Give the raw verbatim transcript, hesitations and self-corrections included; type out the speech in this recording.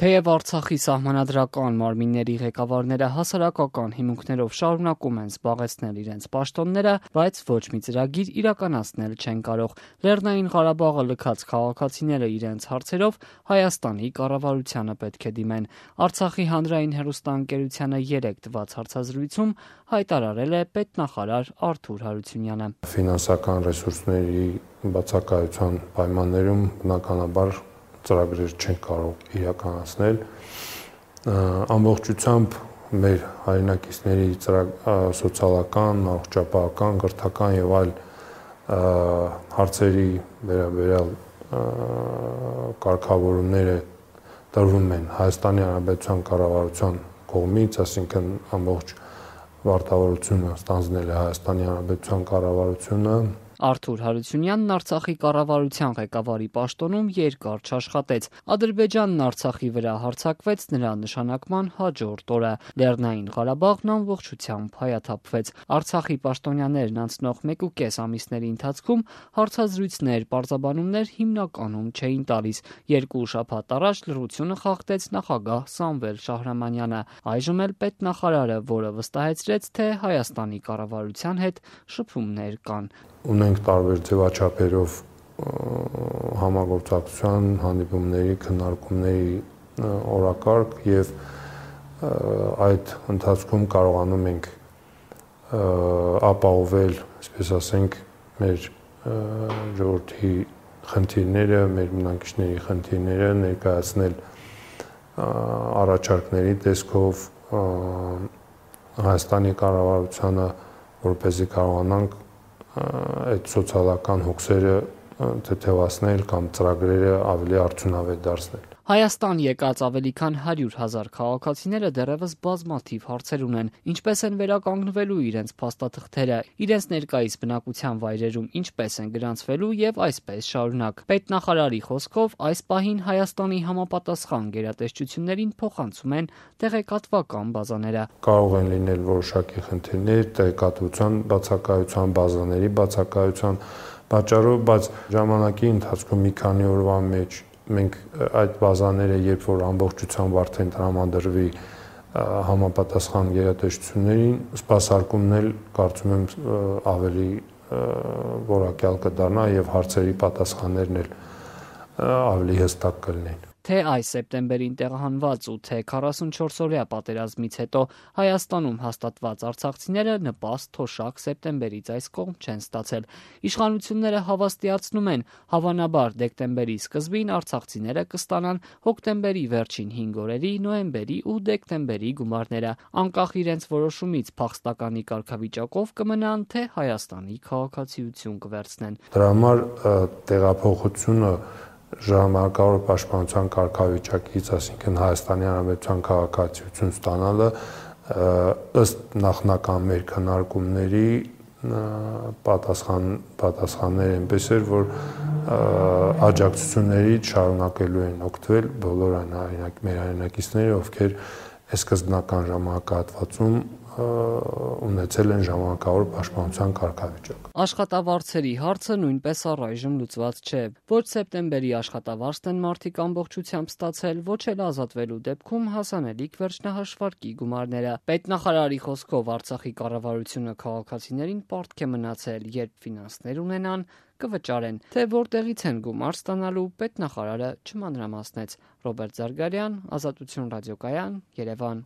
Թեև Արցախի սահմանադրական մարմինների ղեկավարները հասարակական հիմունքներով շարունակում են զբաղեցնել իրենց պաշտոնները, բայց ոչ մի ծրագիր իրականացնել չեն կարող։ Լեռնային Ղարաբաղը լքած քաղաքացիները իրենց հարցերով Հայաստանի կառավարությանը պետք է դիմեն։ Արցախի հանրային հեռուստաընկերությանը երեկ տված հարցազրույցում հայտարարել է պետնախարար Արթուր Հարությունյանը։ Ֆինանսական ռեսուրսների բացակայության պայմաններում բնականաբար ծրագրեր չեն կարող իրականացնել։ Ամբողջությամբ մեր հայրենակիցների սոցիալական, առողջապահական, կրթական եւ այլ հարցերի վերաբերյալ կարգավորումները տրվում են Հայաստանի Հանրապետության կառավարության կողմից, այսինքն ամբողջ վարտավորությունը ստանձնել է Հայաստանի Հանրապետության կառավարությունը։ Արթուր Հարությունյանն Արցախի կառավարության ղեկավարի պաշտոնում երկար չաշխատեց։ Ադրբեջանն Արցախի վրա հարձակվեց նրա նշանակման հաջորդ օրը։ Լեռնային Ղարաբաղն ամբողջությամբ հայաթափվեց։ Արցախի պաշտոնյաներն անցնող մեկուկես ամիսների ընթացքում հարցազրույցներ, պարզաբանումներ հիմնականում չէին տալիս։ Երկու շաբաթ առաջ լռությունը խախտեց նախագահ Սամվել Շահրամանյանը, այժմ էլ պետնախարարը, որը վստահեցրեց, թե Հայաստանի կառավարության հետ շփումներ կան։ Ունենք տարբեր ձևաչափերով համագործակցության, հանդիպումների, քննարկումների օրակարգ եւ այդ ընթացքում կարողանում ենք ապահովել, այսպես ասենք, մեր ժողովրդի խնդիրները, մեր բնակիչների խնդիրները ներկայացնել առաջարկների տեսքով Հայաստանի կառավարությանը, որպեսզի կարողանանք այդ սոցիալական հոգսերը թեթևացնել կամ ծրագրերը ավելի արդյունավետ դարձնել։ Հայաստան եկած ավելի քան հարյուր հազար քաղաքացիները դեռևս բազմաթիվ հարցեր ունեն, ինչպես են վերականգնվելու իրենց փաստաթղթերը, իրենց ներկայիս բնակության վայրերում ինչպես են գրանցվելու եւ այսպես շարունակ։ Պետնախարարի խոսքով այս պահին Հայաստանի համապատասխան գերատեսչություններին փոխանցում են տեղեկատվական բազաները։ Կարող են լինել որոշակի խնդիրներ տեղեկատվության բացակայության, բազաների բացակայության պատճառով, բայց ժամանակի ընթացքում մի քանի օրվա մեջ մենք այդ բազաները, երբ որ ամբողջությամբ արդեն տրամադրվի համապատասխան գերատեսչություններին, սպասարկումն էլ կարծում եմ ավելի որակյալ կդառնա եւ հարցերի պատասխաններն էլ ավելի հստակ կլինեն։ Թե այս սեպտեմբերին տեղահանված ու թե քառասունչորս-օրյա պատերազմից հետո Հայաստանում հաստատված արցախցիները նպաստ թոշակ սեպտեմբերից այս կողմ չեն ստացել։ Իշխանությունները հավաստիացնում են, հավանաբար դեկտեմբերի սկզբին արցախցիները կստանան հոկտեմբերի վերջին հինգ օրերի, նոյեմբերի ու դեկտեմբերի գումարները, անկախ իրենց որոշումից փախստականի կարգավիճակով կմնան, թե Հայաստանի քաղաքացիություն կվերցնեն։ Դրա համար տեղափոխությունը ժամանակավոր պաշտպանության կարգավիճակից, այսինքն Հայաստանի Հանրապետության քաղաքացիություն ստանալը ըստ նախնական մեր քննարկումների պատասխան պատասխաններ այնպես էր, որ աջակցություններից շարունակելու են օգտվել բոլոր այն մեր հայրենակիցները, ովքեր այս սկզբնական ժամանակահատվածում ունեցել են ժամանակավոր պաշտպանության կարգավիճակ։ Աշխատավարձերի հարցը նույնպես առայժմ լուծված չէ։ Ոչ սեպտեմբերի աշխատավարձն են մարդիկ ամբողջությամբ ստացել, ոչ էլ ազատվելու դեպքում հասանելիք վերջնահաշվարկի գումարները։ Պետնախարարի խոսքով Արցախի կառավարությունը քաղաքացիներին պարտք է մնացել, երբ ֆինանսներ ունենան, կվճարեն։ Թե որտեղից են գումար ստանալու, պետնախարարը չմանրամասնեց։ Ռոբերտ Զարգարյան, Ազատություն ռադիոկայան, Երևան։